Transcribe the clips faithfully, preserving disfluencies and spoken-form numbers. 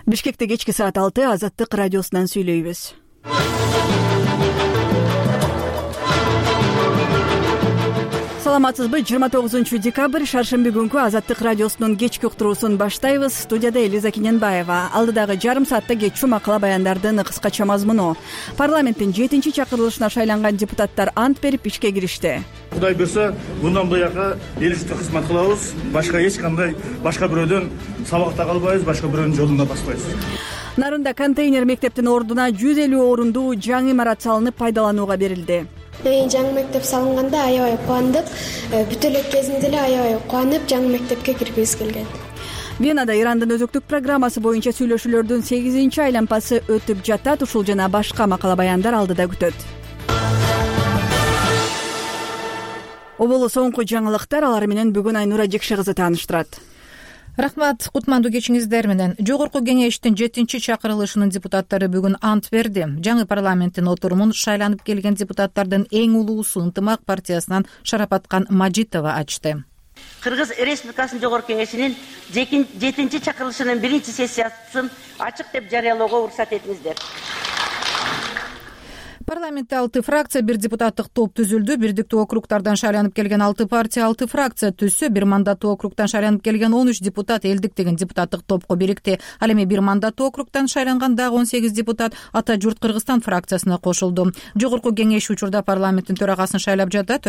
Бишкекте кечки саат алты Азаттык радиосунан сүйлөйбүз. Саламатсызбы? жыйырма тогузунчу декабрь шаршемби күнкү Азаттык радиосунун кечки уктуруусун баштайбыз. Студияда Элиза Кененбаева. Алдыдагы жарым саатта кечүү макала баяндардын кыскача мазмуну. Парламенттин жетинчи чакырылышына шайланган депутаттар ант берип ишке киришти. Кудай буюрса, мындан буяка эл үчүн кызмат кылабыз. Башка эч кандай башка бирөөдөн сабакта калбайбыз, башка бирөөнүн жолунда баспайбыз. Нарында контейнер мектептин ордуна жүз элүү орундуу жаңы имарат салынып пайдаланууга берилди. Жаңы мектеп салынганда аябай кубандык. Бүтө эле кезинде эле аябай кубанып жаңы мектепке киргибиз келген. Венада Ирандын өзөктүк программасы боюнча сүйлөшүүлөрдүн сегизинчи айланпасы өтүп жатат. Ушул жана башка макала баяндар алдыда күтөт. Оболу соңку жаңылыктар, алар менен бүгүн Айнура Жекше кызы тааныштырат. Рахмат, кутмандуу кечиңиздер менен. Жогорку кеңештин жетинчи чакырылышынын депутаттары бүгүн ант берди. Жаңы парламенттин отурумун шайланып келген депутаттардын эң улуусу Ынтымак партиясынан Шарапаткан Мажитова ачты. Кыргыз Республикасынын Жогорку кеңешинин жетинчи чакырылышынын биринчи сессиясын ачык деп жарыялоого уруксат этиңиздер. Парламентте алты фракция, бир депутаттык топ түзүлдү. Бирдиктүү округтардан шайланып келген алты партия алты фракция түзсө, бир мандаттуу округтан шайланып келген он үч депутат элдик деген депутаттык топко бирикти. Ал эми бир мандаттуу округтан шайланган дагы он сегиз депутат Ата журт Кыргызстан фракциясына кошулду. Жогорку кеңеш учурда парламенттин төрагасын шайлап жатат.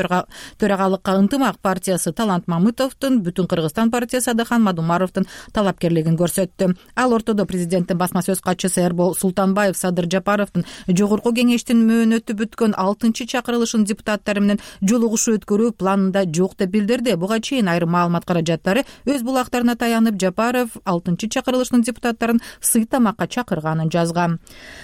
Төрагалыкка Ынтымак партиясы Талант Мамытовдун, Бүтүн Кыргызстан партиясы Адахан Мадумаровдун талапкерлигин көрсөттү. Ал ортодо президенттин басма сөз катчысы Эрбол Султанбаев Садыр Жапаровдун жогорку кеңештин мөөнөтү бүткөн алтынчы чакырылышын депутаттары менен жолугушуу өткөрүү планында жок деп билдирди. Буга чейин айрым маалымат каражаттары өз булактарына таянып, Жапаров алтынчы чакырылышынын депутаттарын сый тамакка чакырганын жазган.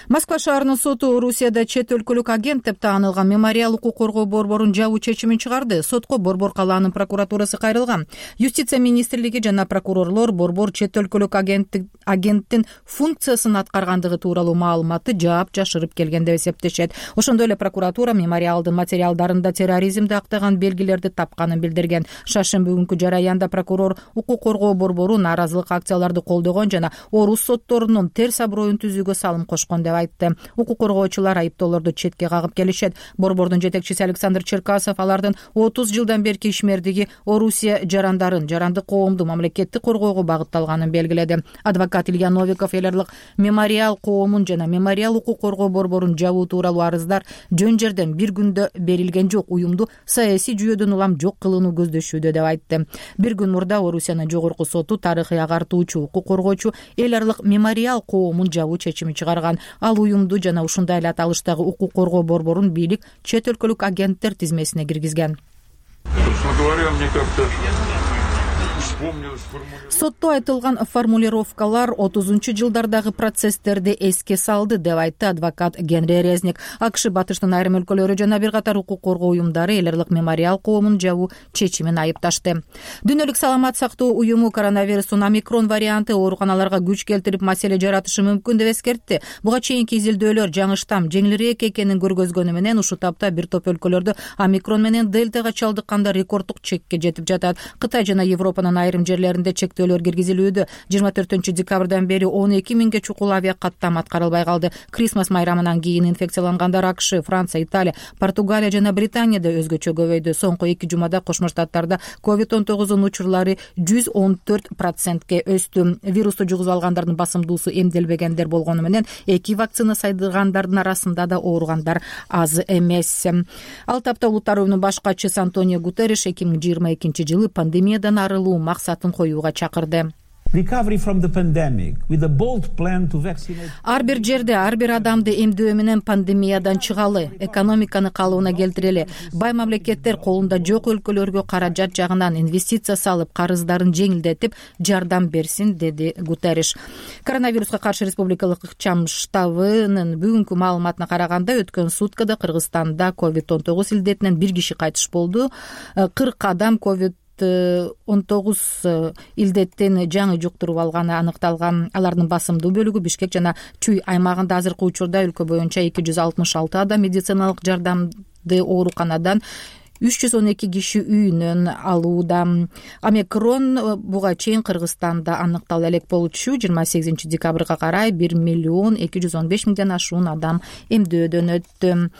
Москва шаарынын соту Орусияда чет өлкөлүк агент деп таанылган Мемориал укук коргоо борборун жабуу чечимин чыгарды. Сотко Борбор калаанын прокуратурасы кайрылган. Юстиция министрлиги жана прокурорлор Борбор чет өлкөлүк агенттин функциясын аткаргандыгы тууралуу маалыматты жаап жашырып келген деп эсептешет. Ошондой эле прокуратура мемориалдын материалдарында терроризмди актаган белгилерди тапканын билдирген. Шаршемби күнкү жараянда прокурор укук коргоо борбору нааразылык акцияларды колдогон жана орус сотторунун терс аброюн түзүүгө салым кошкон деп айтты. Укук коргоочулар айыптоолорду четке кагып келишет. Борбордун жетекчиси Александр Черкасов алардын отуз жылдан берки ишмердиги Орусия жарандарын, жарандык коомду мамлекеттик коргоого багытталганын белгиледи. Адвокат Илья Новиков элерлик мемориал коомун жана мемориал укук коргоо борборун жабуу тууралуу арыздар жөн жерден бир күндө берилген жок, уюмду саясий жүйөдөн улам жок кылууну көздөшүүдө деп айтты. Бир күн мурда Орусиянын жогорку соту тарыхый агартуучу, укук коргоочу эл аралык мемориал коомун жабуу чечими чыгарган. Ал уюмду жана ушундай эле аталыштагы укук коргоо борборун бийлик чет өлкөлүк агенттер тизмесине киргизген. Сотто айтылган формулировкалар отузунчу жылдардагы процесстерди эске салды деп айтты адвокат Генри Резник. АКШ батыштын айрым өлкөлөрү жана бир катар укук коргоо уюмдары эл аралык мемориал коомун жабуу чечимин айыпташты. Дүйнөлүк саламат сактоо уюму коронавирустун омикрон варианты ооруканаларга күч келтирип маселе жаратышы мүмкүн деп эскертти. Буга чейинки изилдөөлөр жаңы штамм жеңилирээк экенин көргөзгөнү менен ушул тапта бир топ өлкөлөрдө омикрон менен дельтага чалдыкканда рекорддук чекке жетип жатат. Кытай жана Европанын айрым жерлеринде чектөөлөр киргизилүүдө. жыйырма төртүнчү декабрдан бери он эки миңге чукул авиа каттам аткарылбай калды. Крисмас майрамынан кийин инфекциялангандар АКШ, Франция, Италия, Португалия жана Британияда өзгөчө көбөйдү. Соңку эки жумада Кошмо Штаттарда ковид он тогузунун учурлары жүз он төрт процентке өстү. Вирусту жугузуп алгандардын басымдуусу эмделбегендер болгону менен эки вакцина сайдыргандардын арасында да ооругандар аз эмес. Ал тапта Улуттар уюмунун баш катчысы Антонио Гутерриш эки миң жыйырма экинчи жылы пандемиядан арылуу максатын коюуга чакырды. Ар бир жерде ар бир адамды эмдөө менен пандемиядан чыгалы, экономиканы калыбына келтирели. Бай мамлекеттер колунда жок өлкөлөргө каражат жагынан инвестиция салып, карыздарын жеңилдетип, жардам берсин, деди Гутерриш. Коронавируска каршы республикалык ыкчам штабынын бүгүнкү маалыматына караганда өткөн суткада Кыргызстанда ковид он тогуз илдетинен бир киши кайтыш болду. кырк адам ковид он тогуз илдеттен жаңы жуктуруп алганы аныкталган. Алардын басымдуу бөлүгү Бишкек жана Чүй аймагында. Азыркы учурда өлкө боюнча эки жүз алтымыш алты адам медициналык жардамды ооруканадан үч жүз он эки киши үйүнөн алууда. Омикрон буга чейин Кыргызстанда аныкталып элек болчу. жыйырма сегизинчи декабрга карай бир миллион эки жүз он беш миңден ашуун адам эмдөөдөн өттү.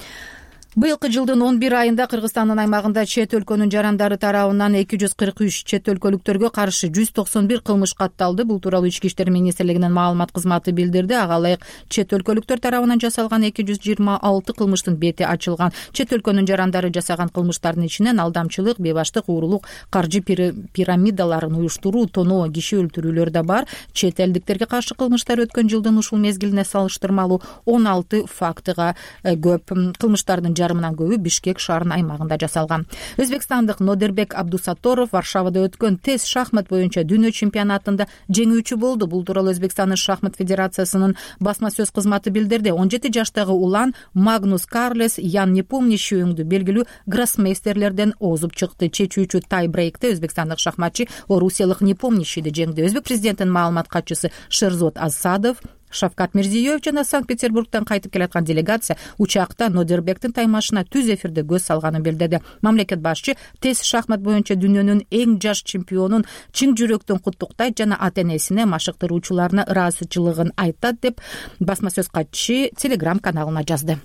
Быйылкы жылдын он бир айында Кыргызстандын аймагында чет өлкөнүн жарандары тарабынан эки жүз кырк үч чет өлкөлүктөргө каршы жүз токсон бир кылмыш катталды. Бул тууралуу Ички иштер министрлигинин маалымат кызматы билдирди. Ага ылайык чет өлкөлүктөр тарабынан жасалган эки жүз жыйырма алты кылмыштын бети ачылган. Чет өлкөнүн жарандары жасаган кылмыштардын ичинен алдамчылык, бейбаштык, уурулук, каржы пирамидаларын уюштуруу, тоноо, киши өлтүрүүлөр да бар. Чет элдиктерге каршы кылмыштар өткөн жылдын ушул мезгилине салыштырмалуу он алты фактыга көп. Кылмыштардын жарымынан көбү Бишкек шаарынын аймагында жасалган. Өзбекстандык Нодербек Абдусатторов Варшавада өткөн тез шахмат боюнча дүйнө чемпионатында жеңүүчү болду. Бул тууралуу Өзбекстандын шахмат федерациясынын басма сөз кызматы билдирди. он жети жаштагы улан Магнус Карлес Ян Непомнящий өңдү белгилүү гроссмейстерлерден озуп чыкты. Чечүүчү тай брейкте өзбекстандык шахматчы орусиялык Непомнящийди жеңди. Өзбек президентинин маалымат катчысы Шерзот Асадов, Шавкат Мирзиёев жана Санкт-Петербургдан кайтып келаткан делегация учакта Нодербектин таймашына түз эфирде көз салганын билдирди. Мамлекет башчы тез шахмат боюнча дүйнөнүн эң жаш чемпионун чың жүрөктөн куттуктайт жана ата-энесине, машыктыруучуларына ыраазычылыгын айтат деп басма сөз катчы Телеграм каналына жазды.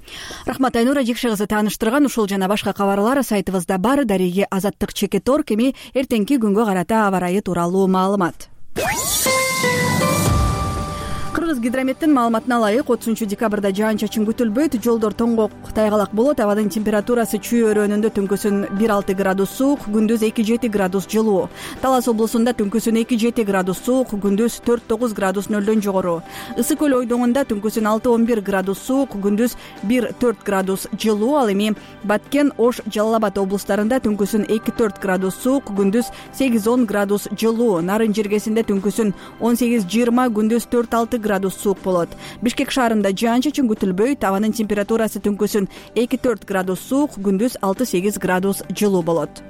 Рахмат, Айнура Жекше кызы тааныштырган ушул жана башка кабарлар сайтыбызда бар. Дареги Азаттык Чекет.орг эми эртеңки күнгө карата аба ырайы тууралуу маалымат. Кыргыз гидрометтин маалыматына ылайык отузунчу декабрда жаан-чачын күтүлбөйт, жолдор тоңгок тайгалак болот, абанын температурасы чүй өрөөнүндө түнкүсүн бир алты градус суук, күндүз эки жети градус жылуу. Талас облусунда түнкүсүн эки жети градус суук, күндүз төрт тогуз градус нөлдөн жогору. Ысык көл ойдоңунда түнкүсүн алты он бир градус суук, күндүз бир төрт градус жылуу. Ал эми Баткен, Ош, Жалал Абад облустарында түнкүсүн эки төрт градус суук, күндүз сегиз он градус жылуу. Нарын жергесинде түнкүсүн он сегиз жыйырма, күндүз төрт алты градус суук болот. Бишкек шаарында жаан-чачын күтүлбөйт, абанын температурасы түнкүсүн эки төрт градус суук, күндүз алты сегиз градус жылуу болот.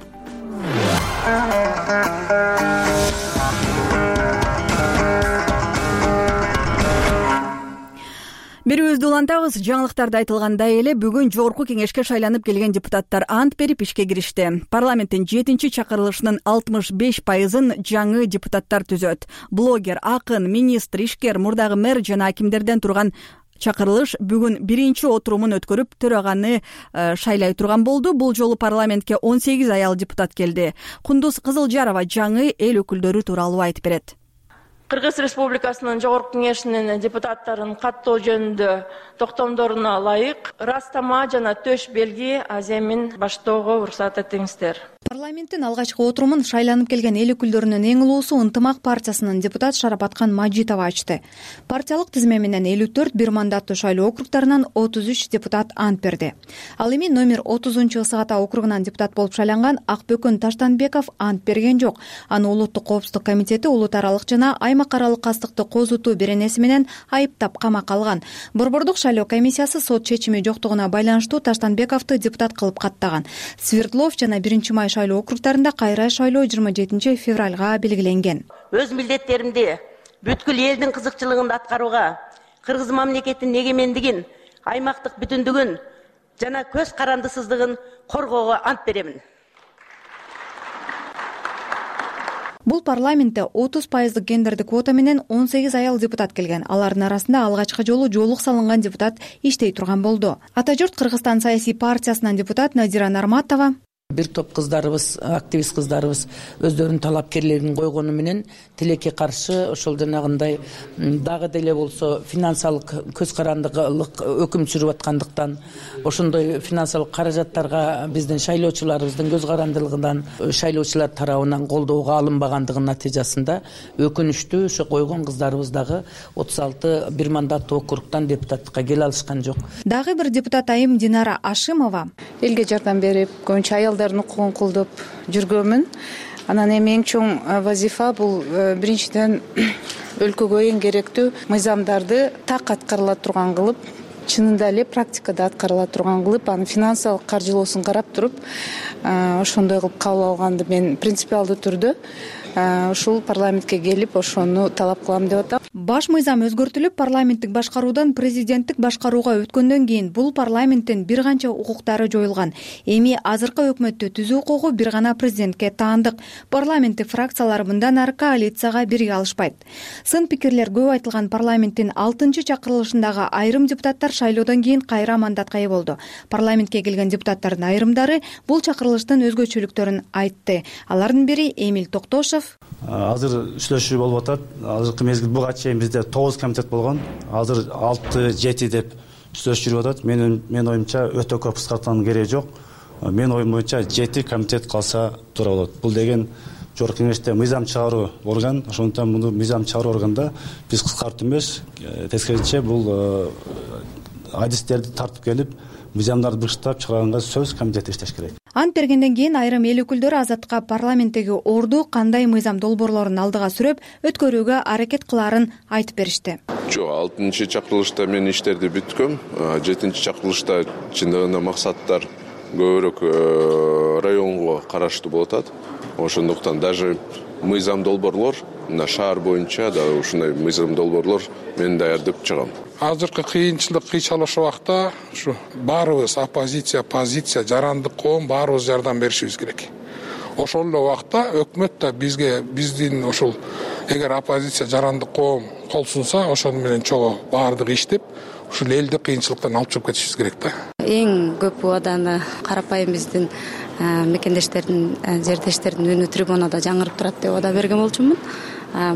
Берүүбүздү улантабыз. Жаңылыктарда айтылгандай эле бүгүн жогорку кеңешке шайланып келген депутаттар ант берип ишке киришти. Парламенттин жетинчи чакырылышынын алтымыш беш пайызын жаңы депутаттар түзөт. Блогер, акын, министр, ишкер, мурдагы мэр жана акимдерден турган чакырылыш бүгүн биринчи отурумун өткөрүп төраганы шайлай турган болду. Бул жолу парламентке он сегиз аял депутат келди. Кундуз Кызылжарова жаңы эл өкүлдөрү тууралуу айтып берет. Кыргыз Республикасынын жогорку кеңешинин депутаттарын каттоо жөнүндө токтомдоруна ылайык ырастама жана төш белги аземин баштоого уруксат этиңиздер. Парламенттин алгачкы отурумун шайланып келген эл өкүлдөрүнүн эң улуусу Ынтымак партиясынын депутат Шарапаткан Мажитова ачты. Партиялык тизме менен элүү төрт бир мандаттуу шайлоо округдарынан отуз үч депутат ант берди. Ал эми номер отузунчу Ысык Ата округунан депутат болуп шайланган Акбөкөн Таштанбеков ант берген жок. Аны Улуттук коопсуздук комитети улут аралык жана аймак аралык кастыкты козутуу беренеси менен айыптап камакка алган. Борбордук шайлоо комиссиясы сот чечими жоктугуна байланыштуу Таштанбековду депутат кылып каттаган. Свердлов жана биринчи май шайлоо округдарында кайра шайлоо жыйырма жетинчи февралга белгиленген. Өз милдеттеримди бүткүл элдин кызыкчылыгын аткарууга, кыргыз мамлекетинин эгемендигин, аймактык бүтүндүгүн жана көз карандысыздыгын коргоого ант беремин. Бул парламентте отуз пайыздык гендердик квота менен он сегиз аял депутат келген. Алардын арасында алгачкы жолу жоолук салынган депутат иштей турган болду. Ата журт Кыргызстан саясий партиясынан депутат Надира Нарматова бир топ кыздарыбыз, активист кыздарыбыз өздөрүнүн талапкерлигин койгону менен тилекке каршы ошол жанагындай дагы деле болсо финансалык көз карандылык өкүм сүрүп аткандыктан, ошондой финансалык каражаттарга биздин шайлоочуларыбыздын көз карандылыгынан шайлоочулар тарабынан колдоого алынбагандыгынын натыйжасында өкүнүчтүү ошо койгон кыздарыбыз дагы отуз алты бир мандаттуу округтан депутаттыкка келе алышкан жок. Дагы бир депутат айым Динара Ашимова элге жардам берип, көбүнчө аялдардын укугун колдоп жүргөнмүн. Анан эми эң чоң вазифа бул биринчиден өлкөгө эң керектүү мыйзамдарды так аткарыла турган кылып, чынында эле практикада аткарыла турган кылып, анын финансалык каржылоосун карап туруп, ошондой кылып кабыл алганды мен принципиалдуу түрдө ушул парламентке келип ошону талап кылам деп атам. Баш мыйзам өзгөртүлүп, парламенттик башкаруудан президенттик башкарууга өткөндөн кийин бул парламенттин бир канча укуктары жоюлган. Эми азыркы өкмөттү түзүү укугу бир гана президентке таандык. Парламенттик фракциялар мындан ары коалицияга бирге алышпайт. Сын пикирлер көп айтылган парламенттин алтынчы чакырылышындагы айрым депутаттар шайлоодон кийин кайра мандатка ээ болду. Парламентке келген депутаттардын айрымдары бул чакырылыштын өзгөчөлүктөрүн айтты. Алардын бири Эмиль Токтошов. Азыр сүйлөшүү болуп атат. Азыркы мезгил буга чейин бизде тогуз комитет болгон. Азыр алты жети деп сүйлөшүп жүрүп атат. Менин мен оюмча өтө көп кыскартуунун кереги жок. Мен оюм боюнча жети комитет калса туура болот. Бул деген жогорку кеңеште мыйзам чыгаруу орган. Ошондуктан муну мыйзам чыгаруу органда биз кыскартуу эмес, тескерисинче бул адистерди тартып келип, мыйзамдарды быштап чыгарганга сөз комитет иштеш керек. Ант бергенден кийин айрым эл өкүлдөрү Азаттыкка парламенттеги орду кандай мыйзам долбоорлорун алдыга сүрөп өткөрүүгө аракет кылаарын айтып беришти. Жок, алтынчы чакырылышта мен иштерди бүткөм. жетинчи чакырылышта чындыгында максаттар көбүрөөк районго караштуу болуп атат. Ошондуктан даже мыйзам долбоорлор мына шаар боюнча да ушундай мыйзам долбоорлор мен даярдап чыгам. Азыркы кыйынчылык, кыйчалыш убакта ушу баарыбыз оппозиция, позиция, жарандык коом баарыбыз жардам беришибиз керек. Ошол эле убакта өкмөт да бизге биздин ушул эгер оппозиция, жарандык коом кол сунса, ошону менен чогуу баардыгы иштеп, ушул элди кыйынчылыктан алып чыгып кетишибиз керек да. Эң көп убаданы карапайым биздин мекендештердин, жердештердин үнү трибунада жаңырып турат деп убада берген болчумун.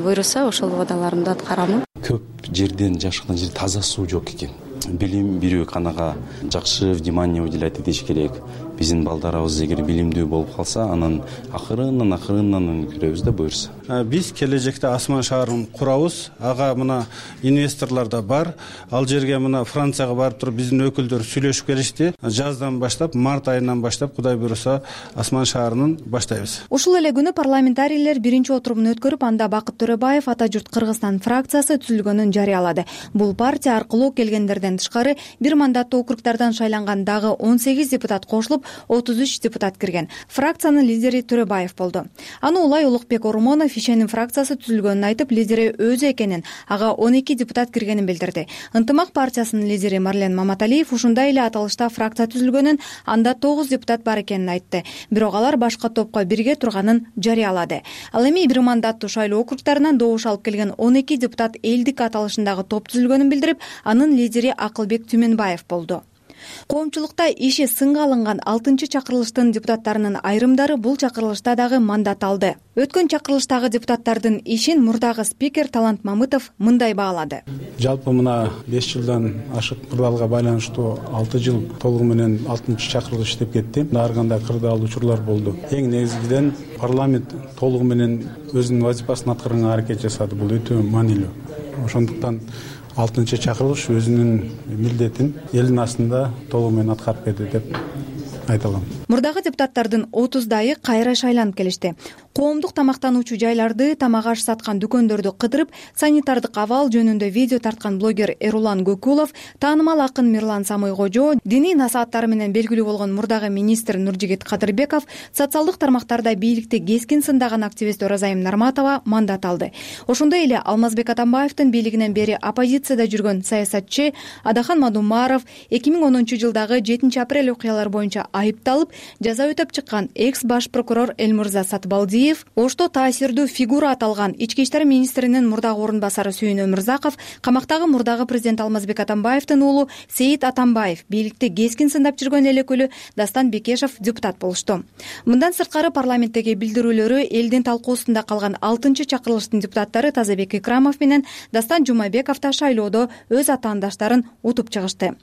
Буйруса ошол убадаларымды аткарамын. Көп жерден, жашкан жерде таза суу жок экен. Билим берүү канага жакшы внимание уделять этиш керек. Биздин балдарыбыз эгер билимдүү болуп калса, анан акырындан акырындан көрөбүз да буйруса. Биз келечекте Асман шаарын курабыз. Ага мына инвесторлор да бар. Ал жерге мына Францияга барып туруп биздин өкүлдөр сүйлөшүп келишти. Жаздан баштап, март айынан баштап Кудай буйруса Асман шаарынын баштайбыз. Ушул эле күнү парламентарийлер биринчи отурумун өткөрүп, анда Бакыт Төрөбаев Ата журт Кыргызстан фракциясы түзүлгөнүн жарыялады. Бул партия аркылуу келгендерден тышкары бир мандаттуу округдардан шайланган дагы он сегиз депутат кошулуп, отуз үч депутат кирген. Фракциянын лидери Төрөбаев болду. Аны улай Улукбек Ормонов Ишеним фракциясы түзүлгөнүн айтып, лидери өзү экенин, ага он эки депутат киргенин билдирди. Ынтымак партиясынын лидери Марлен Маматалиев ушундай эле аталышта фракция түзүлгөнүн, анда тогуз депутат бар экенин айтты. Бирок алар башка топко бирге турганын жарыялады. Ал эми бир мандаттуу шайлоо округдарынан добуш алып келген он эки депутат элдик аталышындагы топ түзүлгөнүн билдирип, анын лидери Акылбек Түмөнбаев болду. Коомчулукта иши сынга алынган алтынчы чакырылыштын депутаттарынын айрымдары бул чакырылышта дагы мандат алды. Өткөн чакырылыштагы депутаттардын ишин мурдагы спикер Талант Мамытов мындай баалады. Жалпы мына беш жылдан ашык кырдаалга байланыштуу алты жыл толугу менен алтынчы чакырылыш иштеп кетти. Ар кандай кырдаал учурлар болду. Эң негизгиден парламент толугу менен өзүнүн вазифасын аткарганга аракет жасады. Бул өтө маанилүү. Ошондуктан алтынчы чакырылыш өзүнүн милдетин элдин астында толугу менен аткарып берди деп айта алам. Мурдагы депутаттардын отуздайы кайра шайланып келишти. Коомдук тамактануучу жайларды, тамак аш саткан дүкөндөрдү кыдырып, санитардык абал жөнүндө видео тарткан блогер Эрулан Көкулов, таанымал акын Мирлан Самыйкожо, диний насааттары менен белгилүү болгон мурдагы министр Нуржигит Кадырбеков, социалдык тармактарда бийликти кескин сындаган активист Оразайым Нарматова мандат алды. Ошондой эле Алмазбек Атамбаевдин бийлигинен бери оппозицияда жүргөн саясатчы Адахан Мадумаров эки миң онунчу жылдагы жетинчи апрель окуялары боюнча айыпталып, жаза өтөп чыккан экс баш прокурор Элмурза Сатыбалдиев, ошто таасирдүү фигура аталган ички иштер министринин мурдагы орун басары Сүйүн Өмүрзаков, камактагы мурдагы президент Алмазбек Атамбаевдин уулу Сейит Атамбаев, бийликти кескин сындап жүргөн эл өкүлү Дастан Бекешев депутат болушту. Мындан сырткары парламенттеги билдирүүлөрү элдин талкуусунда калган алтынчы чакырылыштын депутаттары Тазабек Икрамов менен Дастан Жумабеков да шайлоодо өз атаандаштарын утуп чыгышты.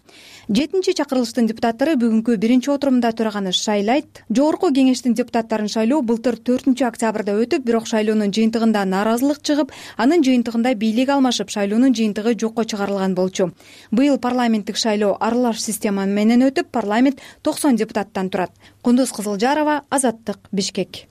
жетинчи чакырылыштын депутаттары бүгүнкү биринчи отурумда төраганы шайлайт. Жогорку кеңештин депутаттарын шайлоо былтыр төртүнчү октябрда өтүп, бирок шайлоонун жыйынтыгында нааразылык чыгып, анын жыйынтыгында бийлик алмашып, шайлоонун жыйынтыгы жокко чыгарылган болчу. Быйыл парламенттик шайлоо аралаш система менен өтүп, парламент токсон депутаттан турат. Кундуз Кызылжарова, Азаттык, Бишкек.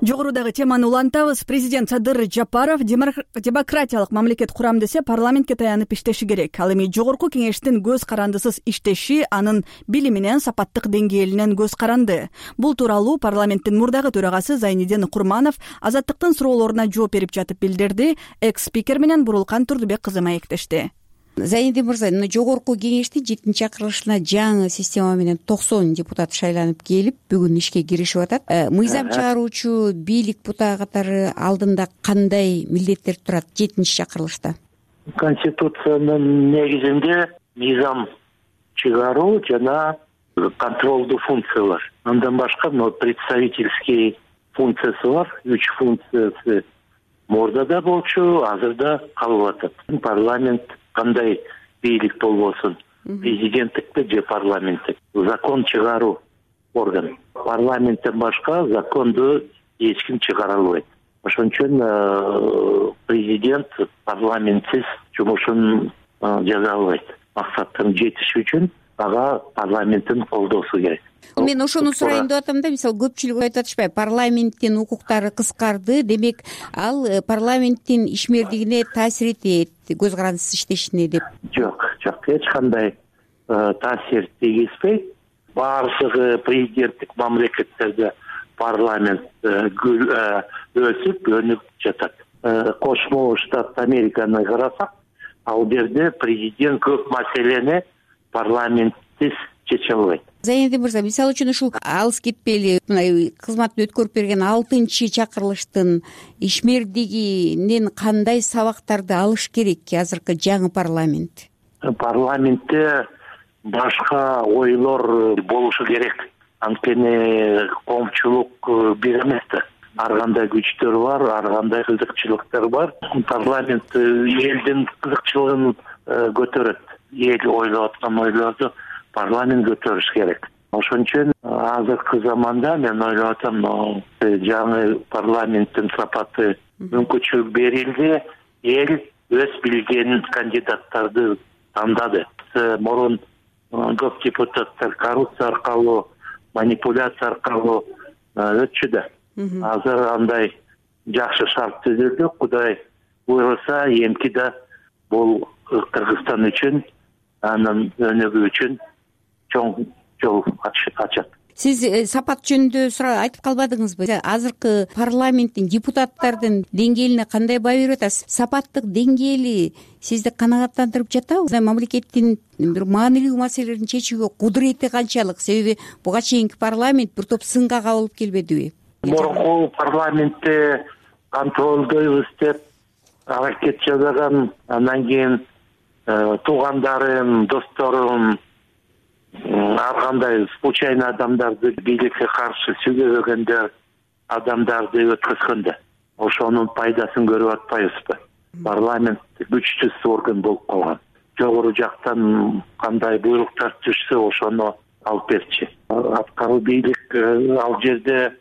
Жогорудагы теманы улантабыз. Президент Садыр Жапаров демократиялык мамлекет курам десе парламентке таянып иштеши керек. Ал эми жогорку кеңештин көз карандысыз иштеши анын билиминен, сапаттык деңгээлинен көз каранды. Бул тууралуу парламенттин мурдагы төрагасы Зайниддин Курманов Азаттыктын суроолоруна жооп берип жатып билдирди. Экс-спикер менен Бурулкан Турдубек кызы маектешти. Зайниддин мырза, жогорку кеңештин жетинчи чакырылышына жаңы система менен токсон депутат шайланып келип, бүгүн ишке киришип атат. Мыйзам чыгаруучу бийлик бутагы катары алдында кандай милдеттер турат жетинчи чакырылышта? Конституциянын негизинде мыйзам чыгаруу жана контролдуу функциялар. Андан башка представительский функциясы бар. Үч функциясы мурдада болчу, азырда калып атат. Парламент кандай бийлик болбосун, президенттикти же парламенттик. Закон чыгаруу орган. Парламенттен башка законду эч ким чыгара албайт. Ошон үчүн президент парламентсиз жумушун жаза албайт. Максаттын жетиши үчүн ага парламенттин колдоосу керек. Мен ошону сурайын деп атам да, мисалы көпчүлүк айтып атышпайбы, парламенттин укуктары кыскарды, демек ал парламенттин ишмердигине таасир этет, көз карандысыз иштешине деп. Жок, жок, эч кандай таасир тийгизбейт. Баардыгы президенттик мамлекеттерде парламент өсүп, өнүп жатат. Кошмо Штат Американы карасак, ал жерде президент көп маселени парламентсиз чече албайт. Зайниддин мырза, мисалы үчүн ушул алыс кетпейли, мына кызматын өткөрүп берген алтынчы чакырылыштын ишмердигинен кандай сабактарды алыш керек азыркы жаңы парламент? Парламентте башка ойлор болушу керек. Анткени коомчулук бир эмес да. Ар кандай күчтөр бар, ар кандай кызыкчылыктар бар. Парламент элдин кызыкчылыгын көтөрөт. Эл ойлоп аткан ойлорду парламент көтөрүш керек. Ошон үчүн азыркы заманда мен ойлоп атам, жаңы парламенттин сапаты мүмкүнчүлүк берилди, эл өз билген кандидаттарды тандады. Мурун көп депутаттар коррупция аркылуу, манипуляция аркылуу өтчү да. Азыр андай жакшы шарт түзүлдү. Кудай буйруса, эмки да бул Кыргызстан үчүн, анын өнүгүү үчүн чоң жол ачат. Сиз сапат жөнүндө сурап айтып калбадыңызбы? Азыркы парламенттин депутаттардын деңгээлине кандай баа берип атасыз? Сапаттык деңгээли сизди канагаттандырып жатабы? Мамлекеттин бир маанилүү маселелерин чечүүгө кудурети канчалык? Себеби буга чейинки парламент бир топ сынга кабылып келбедиби? Мурунку парламентте контролдойбуз деп аракет жасаган, андан кийин туугандарым, досторум, ар кандай случайный адамдарды бийликке каршы сүйлөбөгөндөр адамдарды өткөзгөндө ошонун пайдасын көрүп атпайбызбы? Парламент күчсүз орган болуп калган. Жогору жактан кандай буйруктар түшсө ошону алып берчү. Аткаруу бийлик ал жерде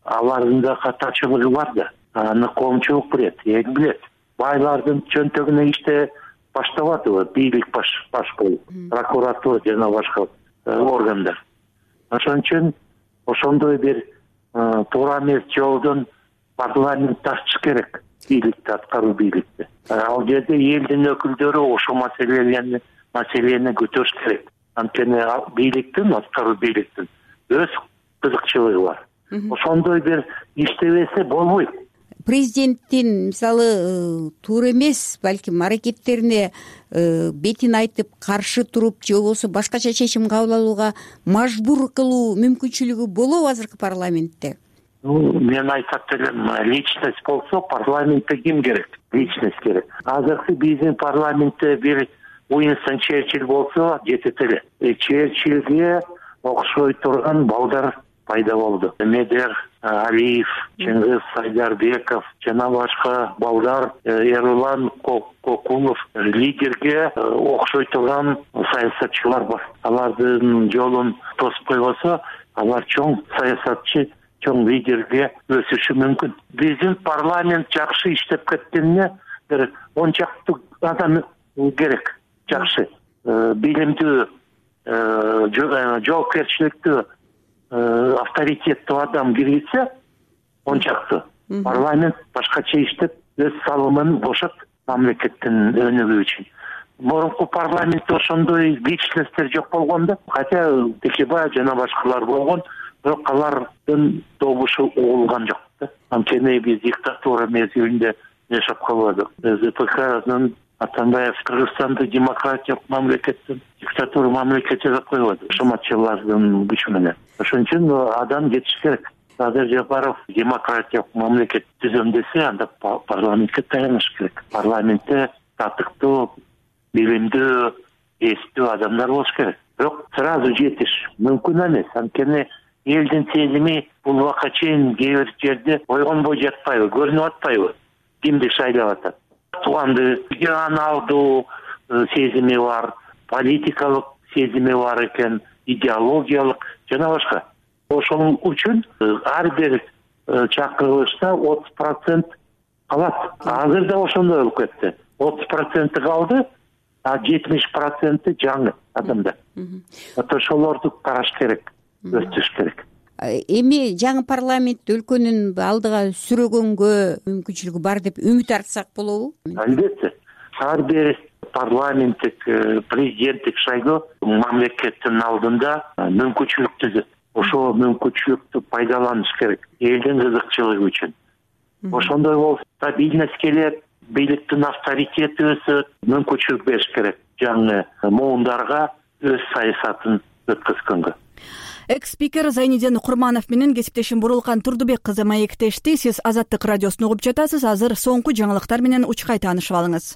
алардын да катачылыгы бар да. Аны коомчулук билет, эл билет. Байлардын чөнтөгүнө иште баштабадыбы бийлик баш баш болуп, прокуратура жана башка органдар. Ошон үчүн ошондой бир туура эмес жолдон парламент ачыш керек бийликти, аткаруу бийликти. Ал жерде элдин өкүлдөрү ошол маселени маселени көтөрүш керек. Анткени бийликтин, аткаруу бийликтин өз кызыкчылыгы бар. Ошондой бир иштебесе болбойт. Президенттин мисалы туура эмес, балким аракеттерине бетин айтып каршы туруп же болбосо башкача чечим кабыл алууга мажбур кылуу мүмкүнчүлүгү болобу азыркы парламентте? Мен айтат элем, личность болсо парламентте ким керек? Личность керек. Азыркы биздин парламентте бир Уинстон Черчилль болсо жетет эле. Черчилльге окшой турган балдар пайда болду. Медер Алиев, Чыңгыз Сайдарбеков жана башка балдар, Эрлан Кокулов лидерге окшой турган саясатчылар бар. Алардын жолун тосуп койбосо, алар чоң саясатчы, чоң лидерге өсүшү мүмкүн. Биздин парламент жакшы иштеп кеткенине бир он чакты адам керек. Жакшы, билимдүү, жоопкерчиликтүү, авторитеттүү адам киргизсе, он чакты парламент башкача иштеп өз салымын кошот мамлекеттин өнүгүү үчүн. Мурунку парламентте ошондой личностьтер жок болгон да, хотя Текебаев жана башкалар болгон, бирок алардын добушу угулган жок да. Анткени биз диктатура мезгилинде жашап калбадык. ЗПКнын Атамбаев Кыргызстанды демократиялык мамлекеттен диктатура мамлекет жасап койбоду кошоматчылардын күчү менен. Ошон үчүн адам жетиш керек. Садыр Жапаров демократиялык мамлекет түзөм десе, анда парламентке таяныш керек. Парламентте татыктуу, билимдүү, эстүү адамдар болуш керек. Бирок сразу жетиш мүмкүн эмес. Анткени элдин сезими бул убакка чейин кээ бир жерде ойгонбой жатпайбы, көрүнүп атпайбы? Кимди шайлап атат? Тууганды регионалдуу сезими бар, политикалык сезими бар экен, идеологиялык жана башка. Ошол үчүн ар бир чакырылышта отуз процент калат. Азыр да ошондой болуп кетти. отуз проценти калды, а жетимиш проценти жаңы адамдар. Ошолорду караш керек, өстүрүш керек. Эми жаңы парламент өлкөнүн алдыга сүрөгөнгө мүмкүнчүлүгү бар деп үмүт артсак болобу? Албетте. Ар бир парламенттик, президенттик шайлоо мамлекеттин алдында мүмкүнчүлүк түзөт. Ошол мүмкүнчүлүктү пайдаланыш керек элдин кызыкчылыгы үчүн. Ошондой болсо стабильность келет, бийликтин авторитети өсөт, мүмкүнчүлүк бериш керек жаңы муундарга өз саясатын өткөзгөнгө. Экс-спикер Зайниден Курманов менен кесиптешим Бурулкан Турдубек кызы маектешти. Сиз Азаттык радиосун угуп жатасыз. Азыр соңку жаңылыктар менен учкай таанышып алыңыз.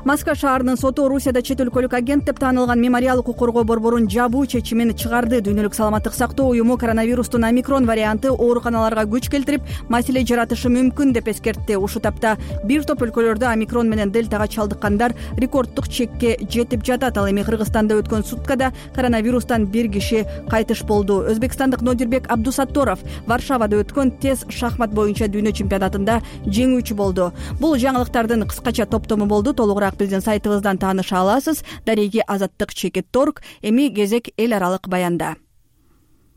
Москва шаарынын соту Орусияда чет өлкөлүк агент деп таанылган Мемориал укук коргоо борборун жабуу чечимин чыгарды. Дүйнөлүк саламаттык сактоо уюму коронавирустун омикрон варианты ооруканаларга күч келтирип, маселе жаратышы мүмкүн деп эскертти. Ушул тапта бир топ өлкөлөрдө омикрон менен дельтага чалдыккандар рекорддук чекке жетип жатат. Ал эми Кыргызстанда өткөн суткада коронавирустан бир киши кайтыш болду. Өзбекстандык Нодирбек Абдусатторов Варшавада өткөн тез шахмат боюнча дүйнө чемпионатында жеңүүчү болду. Бул жаңылыктардын кыскача топтому болду. Толугураак биздин сайтыбыздан тааныша аласыз. Дареги Азаттык чекит торг. Эми кезек эл аралык баянда.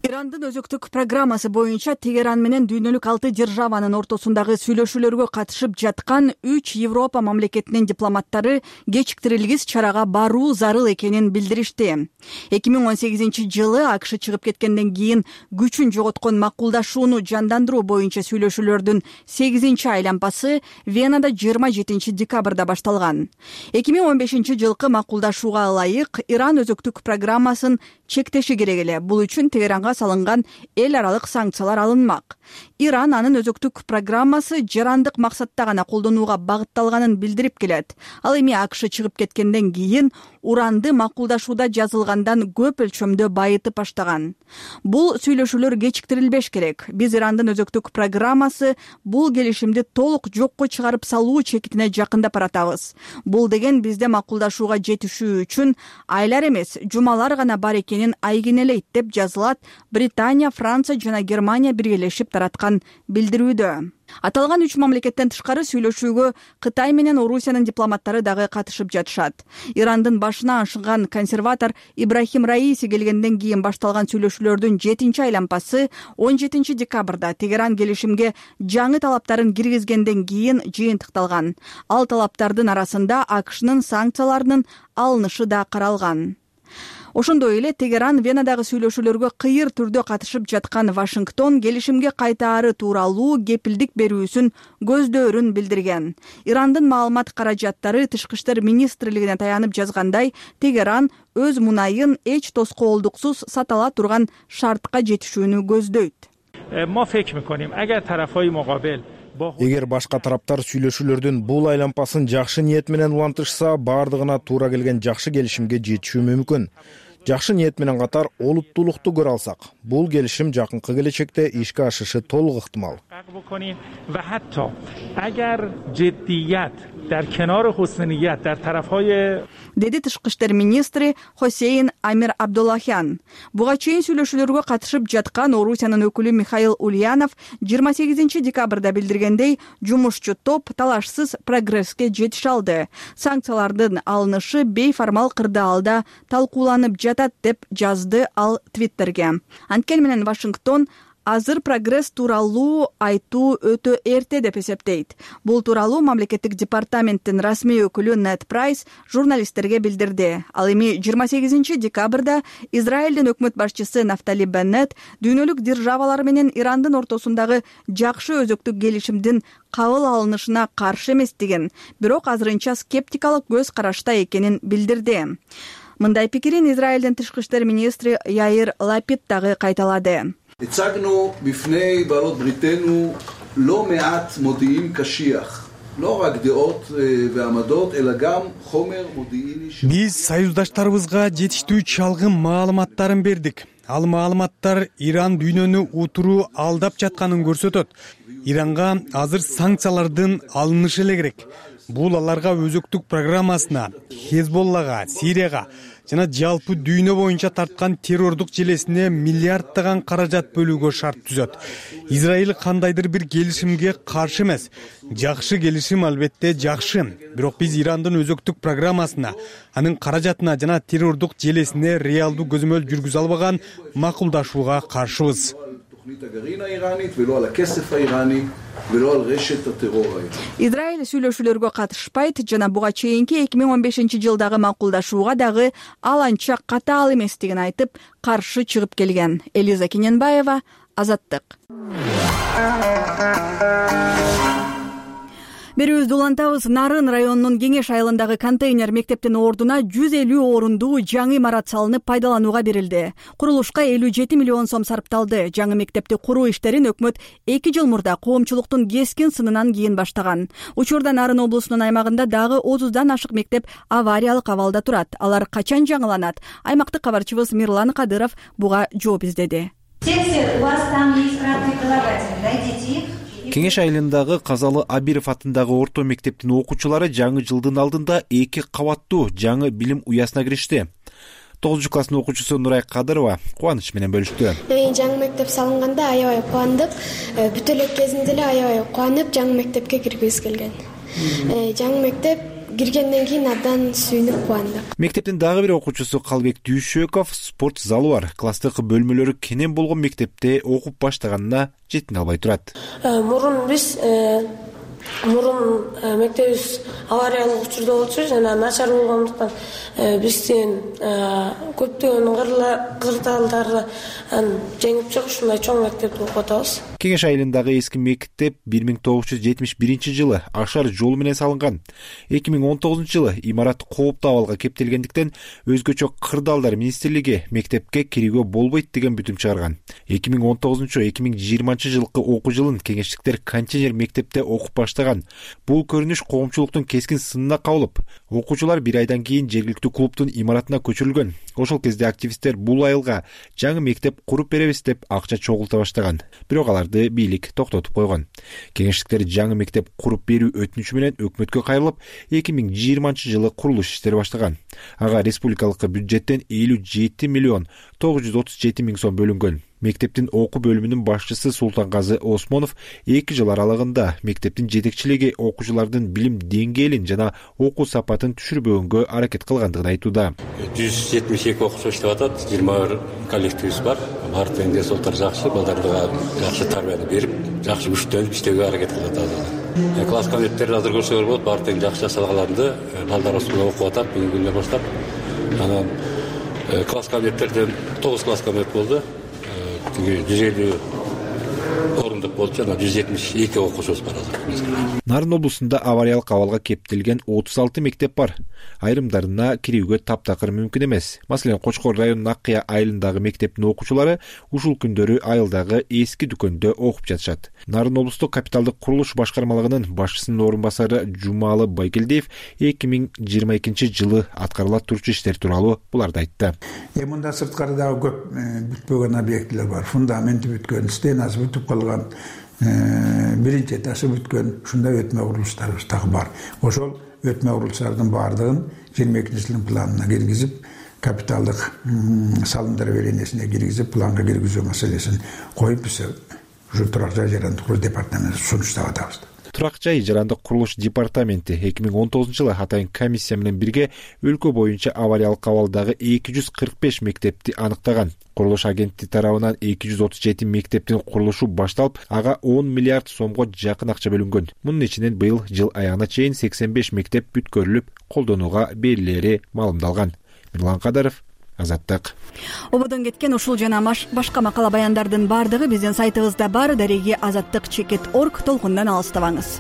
Ирандын өзөктүк программасы боюнча Тегеран менен дүйнөлүк алты державанын ортосундагы сүйлөшүүлөргө катышып жаткан үч Европа мамлекетинин дипломаттары кечиктирилгис чарага баруу зарыл экенин билдиришти. эки миң он сегизинчи жылы АКШ чыгып кеткенден кийин күчүн жоготкон макулдашууну жандандыруу боюнча сүйлөшүүлөрдүн сегизинчи айланпасы Венада жыйырма жетинчи декабрда башталган. эки миң он бешинчи жылкы макулдашууга ылайык Иран өзөктүк программасын чектеши керек эле. Бул үчүн Тегеранга салынган эл аралык санкциялар алынмак. Иран анын өзөктүк программасы жарандык максатта гана колдонууга багытталганын билдирип келет. Ал эми АКШ чыгып кеткенден кийин уранды макулдашууда жазылгандан көп өлчөмдө байытып баштаган. Бул сүйлөшүүлөр кечиктирилбеш керек. Биз Ирандын өзөктүк программасы бул келишимди толук жокко чыгарып салуу чекитине жакындап баратабыз. Бул деген бизде макулдашууга жетишүү үчүн айлар эмес, жумалар гана бар экенин айгинелейт деп жазылат Британия, Франция жана Германия биргелешип тараткан билдирүүдө. Аталган үч мамлекеттен тышкары сүйлөшүүгө Кытай менен Орусиянын дипломаттары дагы катышып жатышат. Ирандын башына ашыган консерватор Ибрахим Раиси келгенден кийин башталган сүйлөшүүлөрдүн жетинчи айланпасы он жетинчи декабрда Тегеран келишимге жаңы талаптарын киргизгенден кийин жыйынтыкталган. Ал талаптардын арасында АКШнын санкцияларынын алынышы да каралган. Ошондой эле Тегеран Венадагы сүйлөшүүлөргө кыйыр түрдө катышып жаткан Вашингтон келишимге кайтаары тууралуу кепилдик берүүсүн көздөөрүн билдирген. Ирандын маалымат каражаттары Тышкы иштер министрлигине таянып жазгандай, Тегеран өз мунайын эч тоскоолдуксуз сата ала турган шартка жетишүүнү көздөйт. Эгер башка тараптар сүйлөшүүлөрдүн бул айланпасын жакшы ниет менен улантышса, бардыгына туура келген жакшы келишимге жетишүү мүмкүн. Жакшы ниет менен катар олуттуулукту көрө алсак, бул келишим жакынкы келечекте ишке ашышы толук ыктымал. Деди Тышкы иштер министри Хосейн Амир Абдуллахян. Буга чейин сүйлөшүүлөргө катышып жаткан Орусиянын өкүлү Михаил Ульянов жыйырма сегизинчи декабрда билдиргендей, жумушчу топ талашсыз прогресске жетише алды. Санкциялардын алынышы бейформал кырдаалда талкууланып жатат деп жазды ал Твиттерге. Анткени менен Вашингтон азыр прогресс тууралуу айтуу өтө эрте деп эсептейт. Бул тууралуу мамлекеттик департаменттин расмий өкүлү Нед Прайс журналисттерге билдирди. Ал эми жыйырма сегизинчи декабрда Израилдин өкмөт башчысы Нафтали Беннет дүйнөлүк державалар менен Ирандын ортосундагы жакшы өзөктүк келишимдин кабыл алынышына каршы эмес деген, бирок азырынча скептикалык көз карашта экенин билдирди. Мындай пикирин Израилдин тышкы иштер министри Яир Лапид дагы кайталады. הצגנו בפני בעלות בריתנו לא מעט מודיעין קשיח, לא רק דעות ועמדות, אלא גם חומר מודיעיני. Биз союздаштарыбызга жетиштүү чалгын маалыматтарын бердик. Ал маалыматтар Иран дүйнөнү утуруу алдап жатканын көрсөтөт. Иранга азыр санкциялардын алынышы эле керек. Бул аларга өзөктүк программасына, Хезболлага, Сирияга жана жалпы дүйнө боюнча тарткан террордук желесине миллиарддаган каражат бөлүүгө шарт түзөт. Израиль кандайдыр бир келишимге каршы эмес. Жакшы келишим албетте жакшы. Бирок биз Ирандын өзөктүк программасына, анын каражатына жана террордук желесине реалдуу көзөмөл жүргүзө албаган макулдашууга каршыбыз. Израиль сүйлөшүүлөргө катышпайт жана буга чейинки эки миң он бешинчи жылдагы макулдашууга дагы ал анча катаал эместигин айтып, каршы чыгып келген. Элиза Кененбаева, Азаттык. Берүүбүздү улантабыз. Нарын районунун Кеңеш айылындагы контейнер мектептин ордуна жүз элүү орундуу жаңы имарат салынып пайдаланууга берилди. Курулушка элүү жети миллион сом сарпталды. Жаңы мектепти куруу иштерин өкмөт эки жыл мурда коомчулуктун кескин сынынан кийин баштаган. Учурда Нарын облусунун аймагында дагы отуздан ашык мектеп авариялык абалда турат. Алар качан жаңыланат? Аймактык кабарчыбыз Мирлан Кадыров буга жооп издеди. У вас там есть краткий прилагательный, найдите их. Кеңеш айылындагы Казалы Абиров атындагы орто мектептин окуучулары жаңы жылдын алдында эки кабаттуу жаңы билим уясына киришти. тогузунчу класстын окуучусу Нурай Кадырова кубаныч менен бөлүштү. Жаңы мектеп салынганда аябай кубандык. Бүт эле кезинде эле аябай кубанып жаңы мектепке киргибиз келген. Жаңы мектеп киргенден кийин абдан сүйүнүп кубандык. Мектептин дагы бир окуучусу Калбек Дүйшөков спорт залы бар. Класстык бөлмөлөрү кенен болгон мектепте окуп баштаганына жетине албай турат. Мурун биз мурун мектебибиз авариялык учурда болчу жана начар болгондуктан биздин көптөгөн кырдаалдарды жеңип чыгып ушундай чоң мектепти окуп атабыз. Кеңеш айылындагы эски мектеп бир миң тогуз жүз жетимиш биринчи жылы Ашар жолу менен салынган. эки миң он тогузунчу жылы имарат кооптуу абалга кептелгендиктен өзгөчө кырдаалдар министрлиги мектепке кирүүгө болбойт деген бүтүм чыгарган. эки миң он тогузунчу эки миң жыйырманчы жылкы окуу жылын кеңештиктер контейнер мектепте окуп баштаган. Бул көрүнүш коомчулуктун кескин сынына кабылып, окуучулар бир айдан кийин жергиликтүү клубтун имаратына көчүрүлгөн. Ошол кезде активисттер бул айылга жаңы мектеп куруп беребиз деп акча чогулта баштаган. Бирок аларды бийлик токтотуп койгон. Кеңештиктер жаңы мектеп куруп берүү өтүнүчү менен өкмөткө кайрылып, эки миң жыйырманчы жылы курулуш иштери баштаган. Ага республикалык бюджеттен элүү жети миллион тогуз жүз отуз жети миң сом бөлүнгөн. Мектептин окуу бөлүмүнүн башчысы Султангазы Осмонов эки жыл аралыгында мектептин жетекчилиги окуучулардын билим деңгээлин жана окуу сапатын түшүрбөгөнгө аракет кылгандыгын айтууда. жүз жетимиш эки окуучу иштеп атат, жыйырма бир коллективибиз бар. Баардыгынын ден соолуктары жакшы, балдарга жакшы тарбияны берип, жакшы күчтөнүп иштөөгө аракет кылып атат. Класс кабинеттерди азыр көрсөңөр болот, баардыгы жакшы жасалганды, балдар осунда окуп атат бүгүнкү күндөн баштап. Анан класс кабинеттерден тогуз класс кабинет болду. жүз элүү орундук болчу, жана жүз жетимиш эки окуучубуз бар азыр. Нарын облусунда авариялык абалга кептелген отуз алты мектеп бар. Айрымдарына кирүүгө таптакыр мүмкүн эмес. Маселен, Кочкор районунун Аккыя айылындагы мектептин окуучулары ушул күндөрү айылдагы эски дүкөндө окуп жатышат. Нарын облустук капиталдык курулуш башкармалыгынын башчысынын орун басары Жумалы Байгелдиев эки миң жыйырма экинчи жылы аткарыла турчу иштер тууралуу буларды айтты. Мында сырткары дагы көп бүтпөгөн объектилер бар. Фундаменти бүткөн, стенасы бүтүп калган, биринчи этажы бүткөн, ушундай өтмө курулуштарыбыз дагы бар. Ошол өтмө курулуштардын баардыгын жыйырма экинчи жылдын планына киргизип, капиталдык салымдар беренесине киргизип, планга киргизүү маселесин коюп, биз ушу турак жай жарандык куруу департаментине сунуштап атабыз. турак жай жарандык курулуш департаменти эки миң он тогузунчу жылы атайын комиссия менен бирге өлкө боюнча авариялык абалдагы эки жүз кырк беш мектепти аныктаган. Курулуш агенттиги тарабынан эки жүз отуз жети мектептин курулушу башталып, ага он миллиард сомго жакын акча бөлүнгөн. Мунун ичинен быйыл жыл аягына чейин сексен беш мектеп бүткөрүлүп, колдонууга берилери маалымдалган. Мирлан Кадаров, Азаттык. Ободон кеткен ушул жана башка макала баяндардын бардыгы биздин сайтыбызда бар. Дареги азаттык чекит точка орг толкундан алыстабаңыз.